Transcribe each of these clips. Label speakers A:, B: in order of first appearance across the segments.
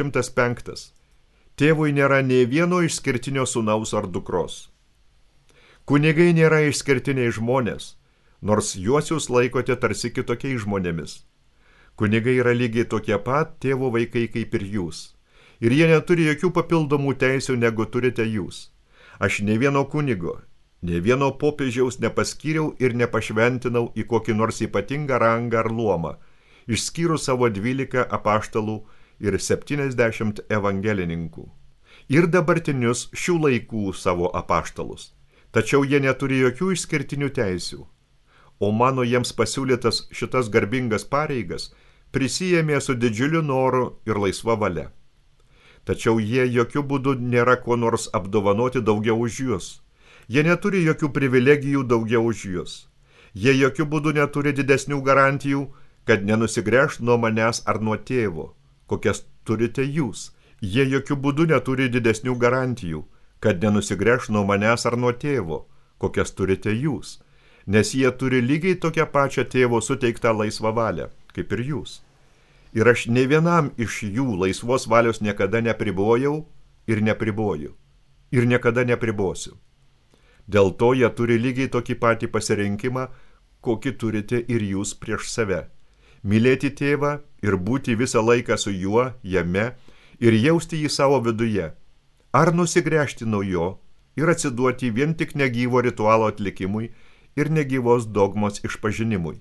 A: 105. Tėvui nėra nė vieno išskirtinio sūnaus ar dukros. Kunigai nėra išskirtiniai žmonės, nors juos jūs laikote tarsi kitokiais žmonėmis. Kunigai yra lygiai tokie pat tėvo vaikai kaip ir jūs. Ir jie neturi jokių papildomų teisių, negu turite jūs. Aš ne vieno kunigo, ne vieno popiežiaus nepaskyriau ir nepašventinau į kokį nors ypatingą rangą ar luomą, išskyrus savo 12 apaštalų ir 70 evangelininkų. Ir dabartinius šių laikų savo apaštalus. Tačiau jie neturi jokių išskirtinių teisių. O mano jiems pasiūlytas šitas garbingas pareigas prisijėmė su didžiuliu noru ir laisva valia. Tačiau jie jokių būdų nėra kuo nors apdovanoti daugiau už jūs. Jie neturi jokių privilegijų daugiau už jūs. Jie jokių būdų neturi didesnių garantijų, kad nenusigręš nuo manęs ar nuo tėvo, kokias turite jūs. Jie jokių būdų neturi didesnių garantijų, kad nenusigręš nuo manęs ar nuo tėvo, kokias turite jūs, nes jie turi lygiai tokią pačią tėvo suteiktą laisvą valią, kaip ir jūs. Ir aš ne vienam iš jų laisvos valios niekada nepribojau ir nepriboju. Ir niekada nepribosiu. Dėl to jie turi lygiai tokį patį pasirinkimą, kokį turite ir jūs prieš save. Mylėti tėvą ir būti visą laiką su juo, jame, ir jausti jį savo viduje. Ar nusigręžti nuo jo ir atsiduoti vien tik negyvo ritualo atlikimui ir negyvos dogmos išpažinimui.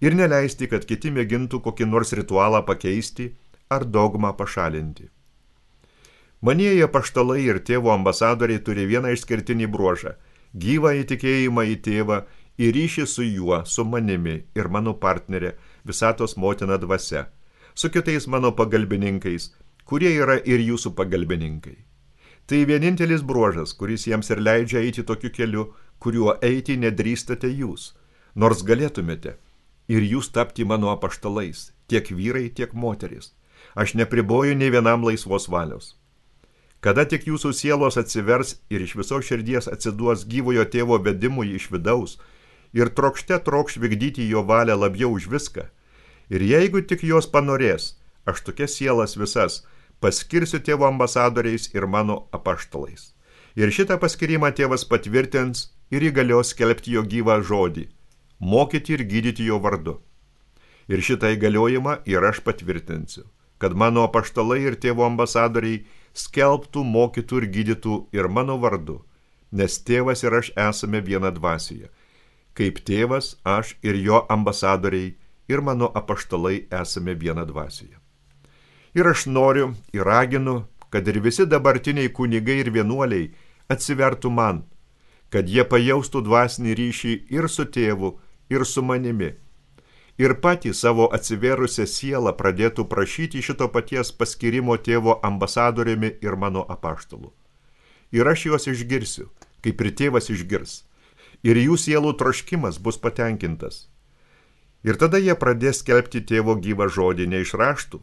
A: Ir neleisti, kad kiti mėgintų kokį nors ritualą pakeisti ar dogmą pašalinti. Manieji apaštalai ir tėvo ambasadoriai turi vieną išskirtinį bruožą – gyvą įtikėjimą į tėvą ir ryšį su juo, su manimi ir mano partnerė, visatos motina dvasia, su kitais mano pagalbininkais, kurie yra ir jūsų pagalbininkai. Tai vienintelis bruožas, kuris jiems ir leidžia eiti tokiu keliu, kuriuo eiti nedrįstate jūs, nors galėtumėte. Ir jūs tapti mano apaštalais, tiek vyrai, tiek moterys. Aš nepriboju nei vienam laisvos valios. Kada tik jūsų sielos atsivers ir iš viso širdies atsiduos gyvojo tėvo vedimui iš vidaus ir trokšte trokš vykdyti jo valią labiau už viską, ir jeigu tik jos panorės, aš tokias sielas visas paskirsiu tėvo ambasadoriais ir mano apaštalais. Ir šitą paskirimą tėvas patvirtins ir įgalios skelbti jo gyvą žodį, mokyti ir gydyti jo vardu. Ir šitą įgaliojimą ir aš patvirtinsiu, kad mano apaštalai ir tėvo ambasadoriai skelbtų, mokytų ir gydytų ir mano vardu, nes tėvas ir aš esame viena dvasioje. Kaip tėvas, aš ir jo ambasadoriai ir mano apaštalai esame viena dvasioje. Ir aš noriu ir raginu, kad ir visi dabartiniai kunigai ir vienuoliai atsivertų man, kad jie pajaustų dvasinį ryšį ir su tėvu, ir su manimi, ir patį savo atsiverusią sielą pradėtų prašyti šito paties paskirimo tėvo ambasadoriumi ir mano apaštalu. Ir aš juos išgirsiu, kaip ir tėvas išgirs, ir jų sielų troškimas bus patenkintas. Ir tada jie pradės skelbti tėvo gyvą žodį ne iš raštų,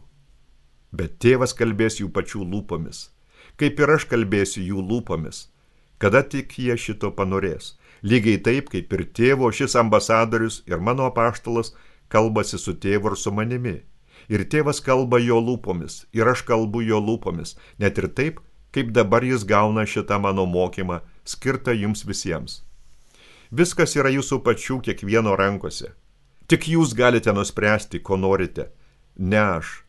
A: bet tėvas kalbės jų pačių lūpomis, kaip ir aš kalbėsiu jų lūpomis, kada tik jie šito panorės. Lygiai taip, kaip ir tėvo šis ambasadorius ir mano apaštalas kalbasi su tėvu ir su manimi. Ir tėvas kalba jo lūpomis, ir aš kalbu jo lūpomis, net ir taip, kaip dabar jis gauna šitą mano mokymą, skirtą jums visiems. Viskas yra jūsų pačių kiekvieno rankose. Tik jūs galite nuspręsti, ko norite, ne aš.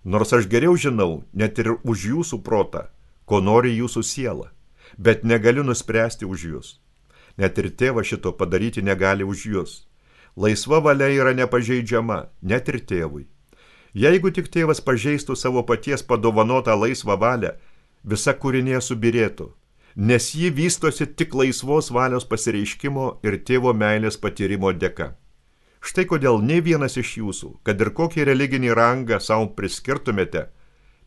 A: Nors aš geriau žinau, net ir už jūsų protą, ko nori jūsų siela, bet negaliu nuspręsti už jūs. Net ir tėvas šito padaryti negali už jūs. Laisva valia yra nepažeidžiama, net ir tėvui. Jeigu tik tėvas pažeistų savo paties padovanotą laisvą valią, visa kūrinė subirėtų, nes ji vystosi tik laisvos valios pasireiškimo ir tėvo meilės patyrimo dėka. Štai kodėl nei vienas iš jūsų, kad ir kokį religinį rangą savo priskirtumėte,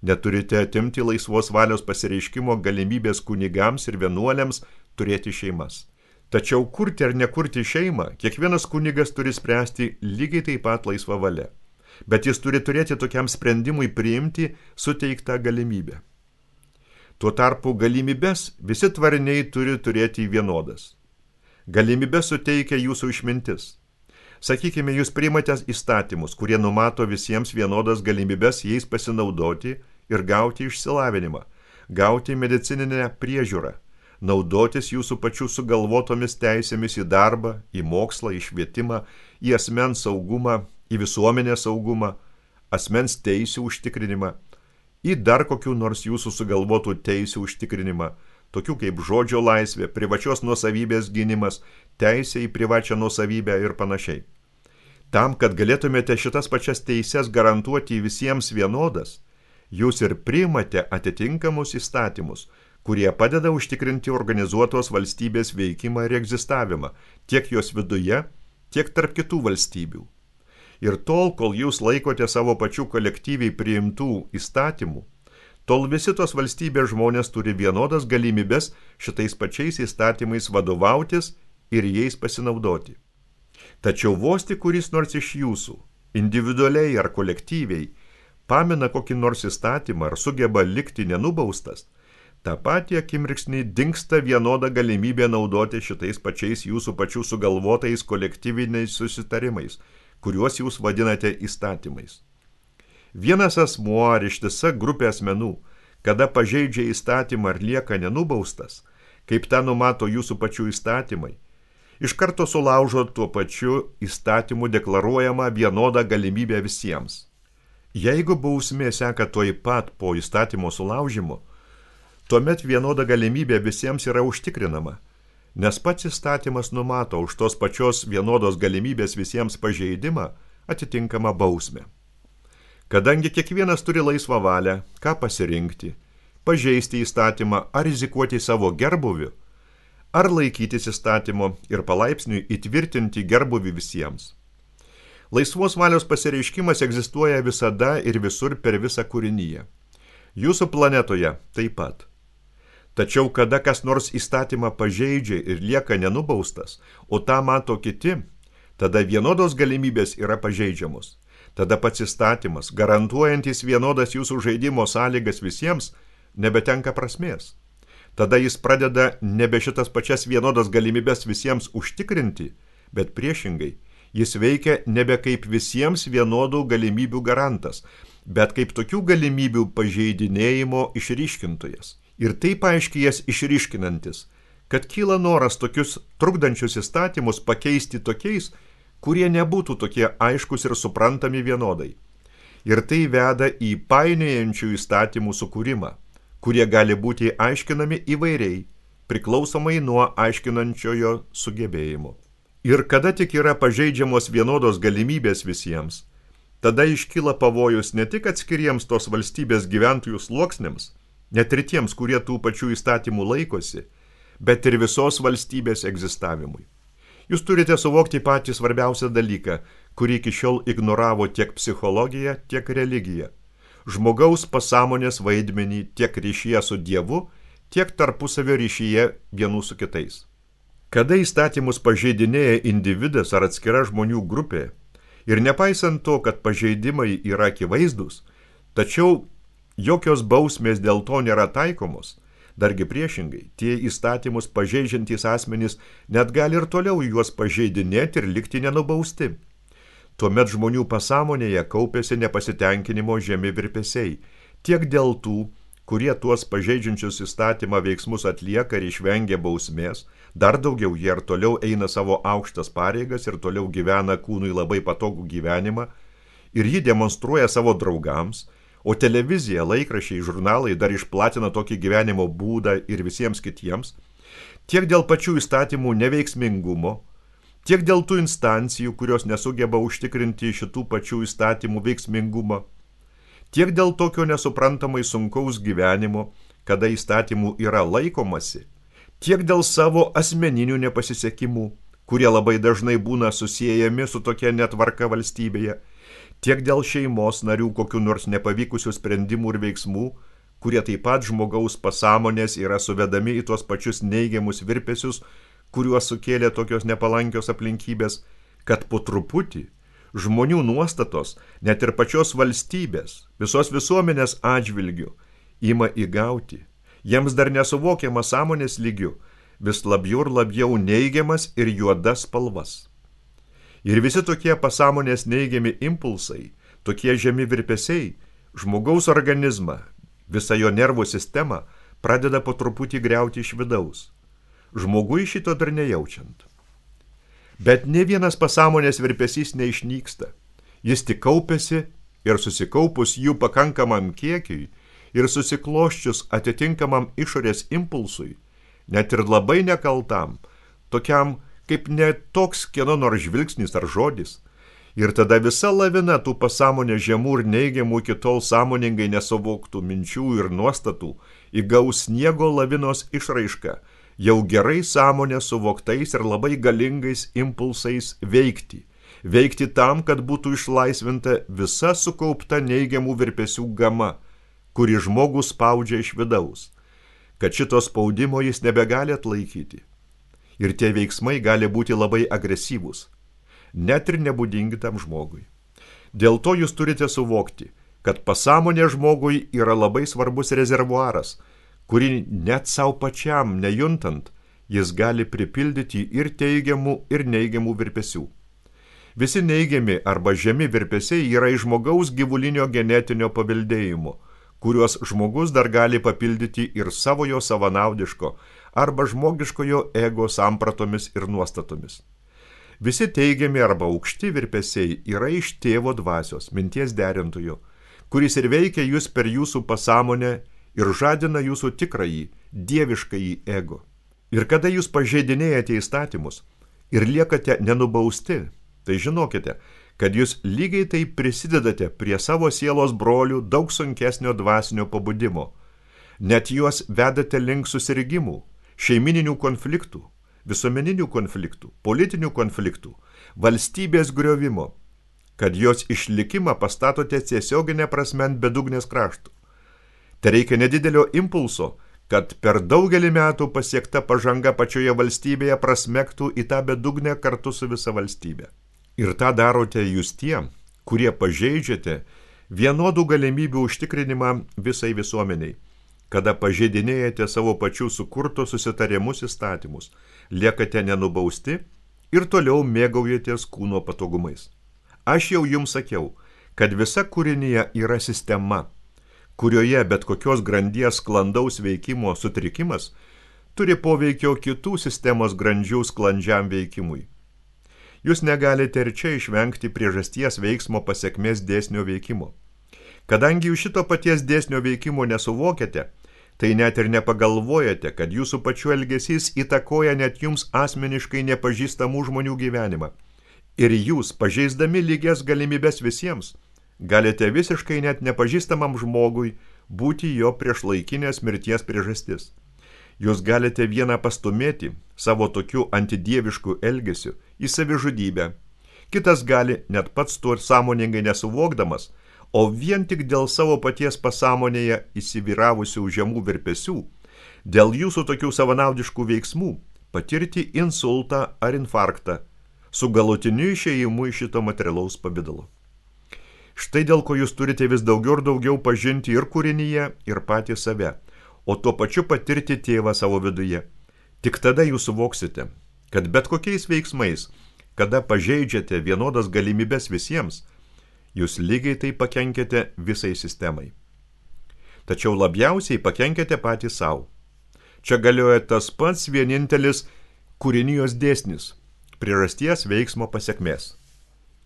A: neturite atimti laisvos valios pasireiškimo galimybės kunigams ir vienuoliams turėti šeimas. Tačiau kurti ar nekurti šeimą, kiekvienas kunigas turi spręsti lygiai taip pat laisvą valią, bet jis turi turėti tokiam sprendimui priimti suteiktą galimybę. Tuo tarpu galimybės visi tvariniai turi turėti vienodas. Galimybės suteikia jūsų išmintis. Sakykime, jūs priimate įstatymus, kurie numato visiems vienodas galimybės jais pasinaudoti ir gauti išsilavinimą, gauti medicininę priežiūrą, naudotis jūsų pačių sugalvotomis teisėmis į darbą, į mokslą, į švietimą, į asmens saugumą, į visuomenės saugumą, asmens teisių užtikrinimą, į dar kokių nors jūsų sugalvotų teisių užtikrinimą, tokių kaip žodžio laisvė, privačios nuosavybės gynimas, teisė į privačią nuosavybę ir panašiai. Tam, kad galėtumėte šitas pačias teises garantuoti visiems vienodas, jūs ir priimate atitinkamus įstatymus, kurie padeda užtikrinti organizuotos valstybės veikimą ir egzistavimą, tiek jos viduje, tiek tarp kitų valstybių. Ir tol, kol jūs laikote savo pačių kolektyviai priimtų įstatymų, tol visi tos valstybės žmonės turi vienodas galimybės šitais pačiais įstatymais vadovautis ir jais pasinaudoti. Tačiau vos tik kuris nors iš jūsų, individualiai ar kolektyviai, pamina kokį nors įstatymą ar sugeba likti nenubaustas, tą patį akimirksnį dingsta vienoda galimybė naudoti šitais pačiais jūsų pačių sugalvotais kolektyviniais susitarimais, kuriuos jūs vadinate įstatymais. Vienas asmuo ar ištisa grupė asmenų, kada pažeidžia įstatymą ar lieka nenubaustas, kaip tą numato jūsų pačių įstatymai, iš karto sulaužo tuo pačiu įstatymu deklaruojama vienoda galimybė visiems. Jeigu bausmė seka tuoj pat po įstatymo sulaužimo, tuomet vienoda galimybė visiems yra užtikrinama, nes pats įstatymas numato už tos pačios vienodos galimybės visiems pažeidimą atitinkamą bausmę. Kadangi kiekvienas turi laisvą valią, ką pasirinkti, pažeisti įstatymą ar rizikuoti savo gerbuviu, ar laikytis įstatymo ir palaipsniui įtvirtinti gerbuvį visiems. Laisvos valios pasireiškimas egzistuoja visada ir visur per visą kūriniją. Jūsų planetoje taip pat. Tačiau kada kas nors įstatymą pažeidžia ir lieka nenubaustas, o tą mato kiti, tada vienodos galimybės yra pažeidžiamos. Tada pats įstatymas, garantuojantis vienodas jūsų žaidimo sąlygas visiems, nebetenka prasmės. Tada jis pradeda nebe šitas pačias vienodas galimybės visiems užtikrinti, bet priešingai, jis veikia nebe kaip visiems vienodų galimybių garantas, bet kaip tokių galimybių pažeidinėjimo išryškintojas. Ir taip aiškiai jas išryškinantis, kad kyla noras tokius trukdančius įstatymus pakeisti tokiais, kurie nebūtų tokie aiškus ir suprantami vienodai. Ir tai veda į painiojančių įstatymų sukūrimą, kurie gali būti aiškinami įvairiai, priklausomai nuo aiškinančiojo sugebėjimo. Ir kada tik yra pažeidžiamos vienodos galimybės visiems, tada iškyla pavojus ne tik atskiriems tos valstybės gyventojų sluoksniams, net ir tiems, kurie tų pačių įstatymų laikosi, bet ir visos valstybės egzistavimui. Jūs turite suvokti patį svarbiausią dalyką, kurį iki šiol ignoravo tiek psichologija, tiek religija. Žmogaus pasąmonės vaidmenį tiek ryšyje su Dievu, tiek tarpusavio ryšyje vienų su kitais. Kada įstatymus pažeidinėja individas ar atskira žmonių grupė, ir nepaisant to, kad pažeidimai yra akivaizdūs, tačiau jokios bausmės dėl to nėra taikomos, dargi priešingai, tie įstatymus pažeidžiantys asmenys net gali ir toliau juos pažeidinėti ir likti nenubausti. Tuomet žmonių pasąmonėje kaupėsi nepasitenkinimo žemi virpesiai, tiek dėl tų, kurie tuos pažeidžiančius įstatymą veiksmus atlieka ir išvengia bausmės, dar daugiau jie ir toliau eina savo aukštas pareigas ir toliau gyvena kūnui labai patogų gyvenimą, ir jį demonstruoja savo draugams, o televizija, laikraščiai, žurnalai dar išplatina tokį gyvenimo būdą ir visiems kitiems, tiek dėl pačių įstatymų neveiksmingumo, tiek dėl tų instancijų, kurios nesugeba užtikrinti šitų pačių įstatymų veiksmingumą, tiek dėl tokio nesuprantamai sunkaus gyvenimo, kada įstatymų yra laikomasi, tiek dėl savo asmeninių nepasisekimų, kurie labai dažnai būna susiejami su tokia netvarka valstybėje, tiek dėl šeimos narių kokių nors nepavykusių sprendimų ir veiksmų, kurie taip pat žmogaus pasąmonės yra suvedami į tuos pačius neigiamus virpesius, kuriuos sukėlė tokios nepalankios aplinkybės, kad po truputį žmonių nuostatos, net ir pačios valstybės, visos visuomenės atžvilgių, ima įgauti, jiems dar nesuvokiama sąmonės lygiu, vis labiau ir labiau neigiamas ir juodas spalvas. Ir visi tokie pasąmonės neigiami impulsai, tokie žemi virpesiai, žmogaus organizmą Visa jo nervų sistema pradeda po truputį griauti iš vidaus. Žmogui šito dar nejaučiant. Bet ne vienas pasąmonės virpesys neišnyksta. Jis tik kaupiasi ir susikaupus jų pakankamam kiekiui ir susikloščius atitinkamam išorės impulsui, net ir labai nekaltam, tokiam kaip ne toks kieno nors žvilgsnis ar žodis, ir tada visa lavina tų pasąmonės žemų ir neigiamų iki tol sąmoningai nesuvoktų minčių ir nuostatų įgaus sniego lavinos išraišką, jau gerai sąmonė suvoktais ir labai galingais impulsais veikti tam, kad būtų išlaisvinta visa sukaupta neigiamų virpesių gama, kuri žmogų spaudžia iš vidaus, kad šito spaudimo jis nebegali atlaikyti. Ir tie veiksmai gali būti labai agresyvūs, net ir nebūdingi tam žmogui. Dėl to jūs turite suvokti, kad pasąmonė žmogui yra labai svarbus rezervuaras, kurį net savo pačiam nejuntant, jis gali pripildyti ir teigiamų, ir neigiamų virpesių. Visi neigiami arba žemi virpesiai yra iš žmogaus gyvulinio genetinio paveldėjimo, kuriuos žmogus dar gali papildyti ir savojo savanaudiško arba žmogiškojo ego sampratomis ir nuostatomis. Visi teigiami arba aukšti virpesiai yra iš tėvo dvasios, minties derintojo, kuris ir veikia jūs per jūsų pasąmonę ir žadina jūsų tikrąjį, dieviškąjį ego. Ir kada jūs pažeidinėjate įstatymus ir liekate nenubausti, tai žinokite, kad jūs lygiai taip prisidedate prie savo sielos brolių daug sunkesnio dvasinio pabudimo. Net juos vedate link susirgimų, šeimininių konfliktų, visuomeninių konfliktų, politinių konfliktų, valstybės griovimo, kad jos išlikimą pastatote tiesioginę prasme ant bedugnės kraštų. Tai reikia nedidelio impulso, kad per daugelį metų pasiekta pažanga pačioje valstybėje prasmektų į tą bedugnę kartu su visa valstybė. Ir tą darote jūs tie, kurie pažeidžiate vienodų galimybių užtikrinimą visai visuomeniai, kada pažeidinėjate savo pačių sukurtos susitarimus įstatymus, liekate nenubausti ir toliau mėgaujatės kūno patogumais. Aš jau jums sakiau, kad visa kūrinyje yra sistema, kurioje bet kokios grandies sklandaus veikimo sutrikimas turi poveikio kitų sistemos grandžių sklandžiam veikimui. Jūs negalite ir čia išvengti priežasties veiksmo pasekmės dėsnio veikimo. Kadangi jūs šito paties dėsnio veikimo nesuvokiate, tai net ir nepagalvojate, kad jūsų pačių elgesys įtakoja net jums asmeniškai nepažįstamų žmonių gyvenimą. Ir jūs, pažeisdami lygias galimybės visiems, galite visiškai net nepažįstamam žmogui būti jo priešlaikinės mirties priežastis. Jūs galite vieną pastumėti savo tokiu antidievišku elgesiu į savižudybę. Kitas gali, net pats to sąmoningai nesuvokdamas, o vien tik dėl savo paties pasąmonėje įsivyravusių žemų virpesių, dėl jūsų tokių savanaudiškų veiksmų, patirti insultą ar infarktą, su galutiniu išėjimu iš šito materialaus pavidalo. Štai dėl ko jūs turite vis daugiau ir daugiau pažinti ir kūrinyje, ir patį save, o tuo pačiu patirti tėvą savo viduje. Tik tada jūs suvoksite, kad bet kokiais veiksmais, kada pažeidžiate vienodas galimybės visiems, jūs lygiai tai pakenkėte visai sistemai. Tačiau labiausiai pakenkėte patys savo. Čia galioja tas pats vienintelis kūrinijos dėsnis – priežasties veiksmo pasekmės.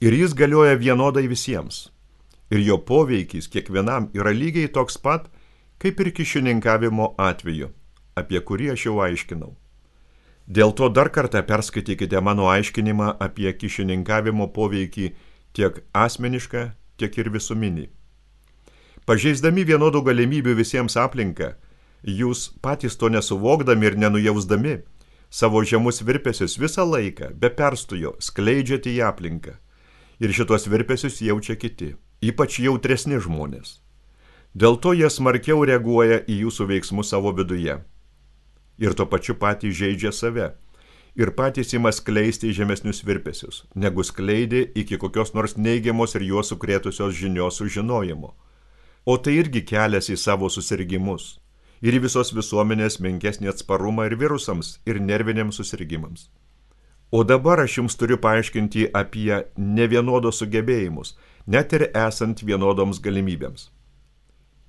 A: Ir jis galioja vienodai visiems. Ir jo poveikis kiekvienam yra lygiai toks pat, kaip ir kyšininkavimo atveju, apie kurį aš jau aiškinau. Dėl to dar kartą perskaitykite mano aiškinimą apie kyšininkavimo poveikį tiek asmenišką, tiek ir visuminį. Pažeisdami vienodų galimybių visiems aplinką, jūs patys to nesuvokdami ir nenujausdami, savo žemus virpesius visą laiką, be perstojo, skleidžiate į aplinką. Ir šitos virpesius jaučia kiti, ypač jautresni žmonės. Dėl to jie smarkiau reaguoja į jūsų veiksmus savo viduje. Ir tuo pačiu patys žeidžia save. Ir patys ima skleisti žemesnius virpesius, negu skleidė iki kokios nors neigiamos ir juos sukrėtusios žinios sužinojimo. O tai irgi kelias į savo susirgimus. Ir į visos visuomenės menkesnį atsparumą ir virusams, ir nerviniams susirgimams. O dabar aš jums turiu paaiškinti apie nevienodos sugebėjimus, net ir esant vienodoms galimybėms.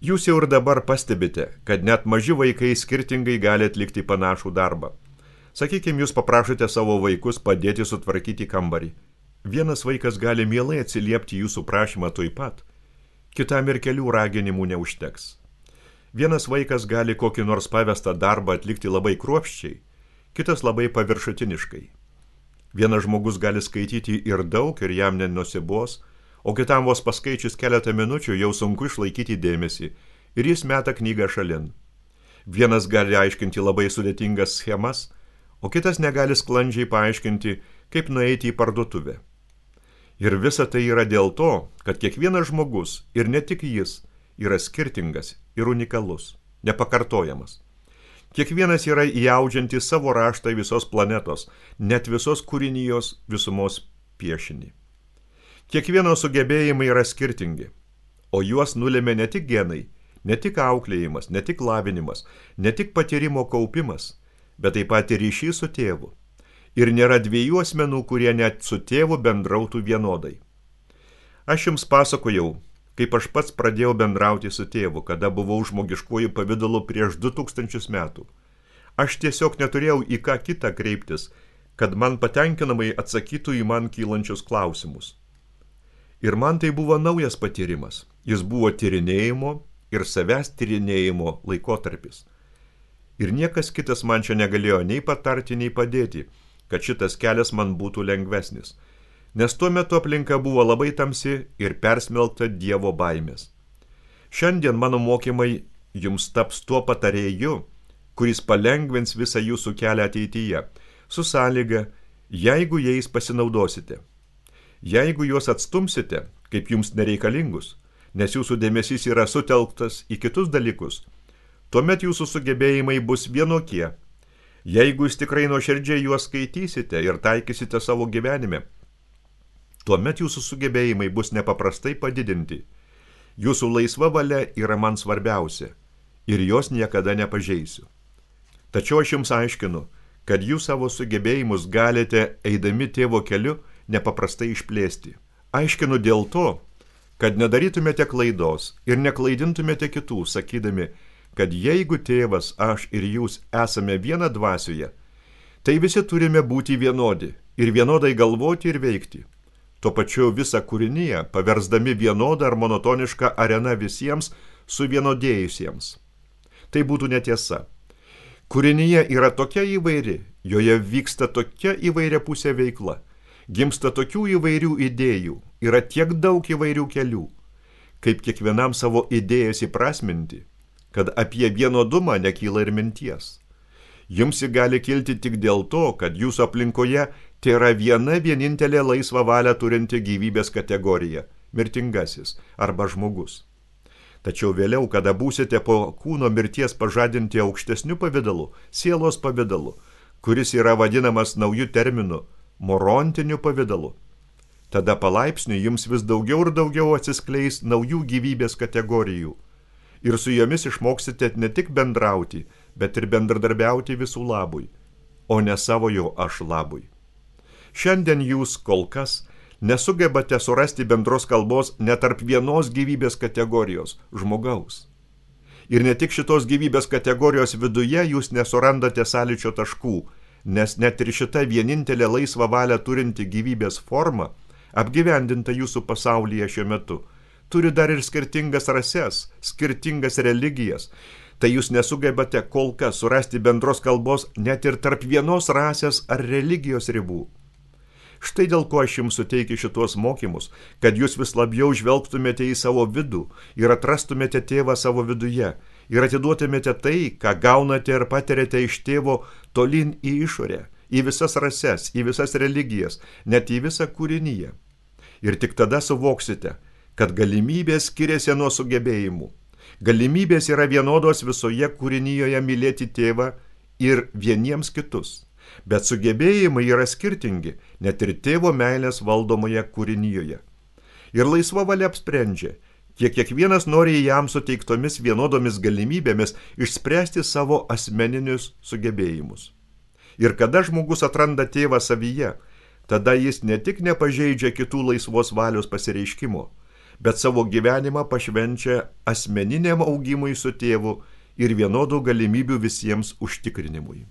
A: Jūs jau ir dabar pastebite, kad net maži vaikai skirtingai gali atlikti panašų darbą. Sakykime, jūs paprašote savo vaikus padėti sutvarkyti kambarį. Vienas vaikas gali mielai atsiliepti jūsų prašymą tuoj pat, kitam ir kelių raginimų neužteks. Vienas vaikas gali kokį nors pavestą darbą atlikti labai kruopščiai, kitas labai paviršutiniškai. Vienas žmogus gali skaityti ir daug ir jam nenusibos, o kitam vos paskaičius keletą minučių jau sunku išlaikyti dėmesį ir jis meta knygą šalin. Vienas gali aiškinti labai sudėtingas schemas, o kitas negali sklandžiai paaiškinti, kaip nueiti į parduotuvę. Ir visa tai yra dėl to, kad kiekvienas žmogus, ir ne tik jis, yra skirtingas ir unikalus, nepakartojamas. Kiekvienas yra įaudžiantis savo raštą visos planetos, net visos kūrinijos visumos piešinį. Kiekvieno sugebėjimai yra skirtingi, o juos nulėmė ne tik genai, ne tik auklėjimas, ne tik lavinimas, ne tik patyrimo kaupimas, bet taip pat ir ryšys su tėvu. Ir nėra dviejų asmenų, kurie net su tėvu bendrautų vienodai. Aš jums pasakojau, kaip aš pats pradėjau bendrauti su tėvu, kada buvau žmogiškuoju pavidalu prieš 2000 metų. Aš tiesiog neturėjau į ką kitą kreiptis, kad man patenkinamai atsakytų į man kylančius klausimus. Ir man tai buvo naujas patyrimas. Jis buvo tyrinėjimo ir savęs tyrinėjimo laikotarpis. Ir niekas kitas man čia negalėjo nei patarti, nei padėti, kad šitas kelias man būtų lengvesnis. Nes tuo metu aplinka buvo labai tamsi ir persmelkta Dievo baimės. Šiandien mano mokymai jums taps tuo patarėju, kuris palengvins visą jūsų kelią ateityje, su sąlyga, jeigu jais pasinaudosite. Jeigu juos atstumsite, kaip jums nereikalingus, nes jūsų dėmesys yra sutelktas į kitus dalykus, tuomet jūsų sugebėjimai bus vienokie. Jeigu jūs tikrai nuoširdžiai juos skaitysite ir taikysite savo gyvenime, tuomet jūsų sugebėjimai bus nepaprastai padidinti. Jūsų laisva valia yra man svarbiausia ir jos niekada nepažeisiu. Tačiau aš jums aiškinu, kad jūs savo sugebėjimus galite, eidami tėvo keliu, nepaprastai išplėsti. Aiškinu dėl to, kad nedarytumėte klaidos ir neklaidintumėte kitų, sakydami, kad jeigu tėvas, aš ir jūs esame viena dvasioje, tai visi turime būti vienodi ir vienodai galvoti ir veikti. Tuo pačiu visą kūriniją paversdami vienodą ar monotonišką areną visiems suvienodėjusiems. Tai būtų netiesa. Kūrinyje yra tokia įvairi, joje vyksta tokia įvairia pusė veikla. Gimsta tokių įvairių idėjų, yra tiek daug įvairių kelių, kaip kiekvienam savo idėjas įprasminti, kad apie vienodumą nekyla ir minties. Jums ji gali kilti tik dėl to, kad jūsų aplinkoje tai yra viena vienintelė laisvą valią turinti gyvybės kategorija – mirtingasis arba žmogus. Tačiau vėliau, kada būsite po kūno mirties pažadinti aukštesniu pavidalu, sielos pavidalu, kuris yra vadinamas naujų terminų, morontiniu pavidalu. Tada palaipsniui jums vis daugiau ir daugiau atsiskleis naujų gyvybės kategorijų. Ir su jomis išmoksite ne tik bendrauti, bet ir bendradarbiauti visų labui, o ne savojo aš labui. Šiandien jūs kol kas nesugebate surasti bendros kalbos net tarp vienos gyvybės kategorijos – žmogaus. Ir ne tik šitos gyvybės kategorijos viduje jūs nesurandate sąlyčio taškų, nes net ir šita vienintelė laisvą valią turinti gyvybės forma, apgyvendinta jūsų pasaulyje šiuo metu, turi dar ir skirtingas rases, skirtingas religijas. Tai jūs nesugebate kol kas surasti bendros kalbos net ir tarp vienos rasės ar religijos ribų. Štai dėl ko aš jums suteikiu šitos mokymus, kad jūs vis labiau žvelgtumėte į savo vidų ir atrastumėte tėvą savo viduje ir atiduotumėte tai, ką gaunate ir patiriate iš tėvo tolyn į išorę, į visas rases, į visas religijas, net į visą kūriniją. Ir tik tada suvoksite, kad galimybės skiriasi nuo sugebėjimų. Galimybės yra vienodos visoje kūrinijoje mylėti tėvą ir vieniems kitus. Bet sugebėjimai yra skirtingi, net ir tėvo meilės valdomoje kūrinijoje. Ir laisva valia apsprendžia, kiek kiekvienas nori jam suteiktomis vienodomis galimybėmis išspręsti savo asmeninius sugebėjimus. Ir kada žmogus atranda tėvą savyje, tada jis ne tik nepažeidžia kitų laisvos valios pasireiškimo, bet savo gyvenimą pašvenčia asmeniniam augimui su tėvu ir vienodų galimybių visiems užtikrinimui.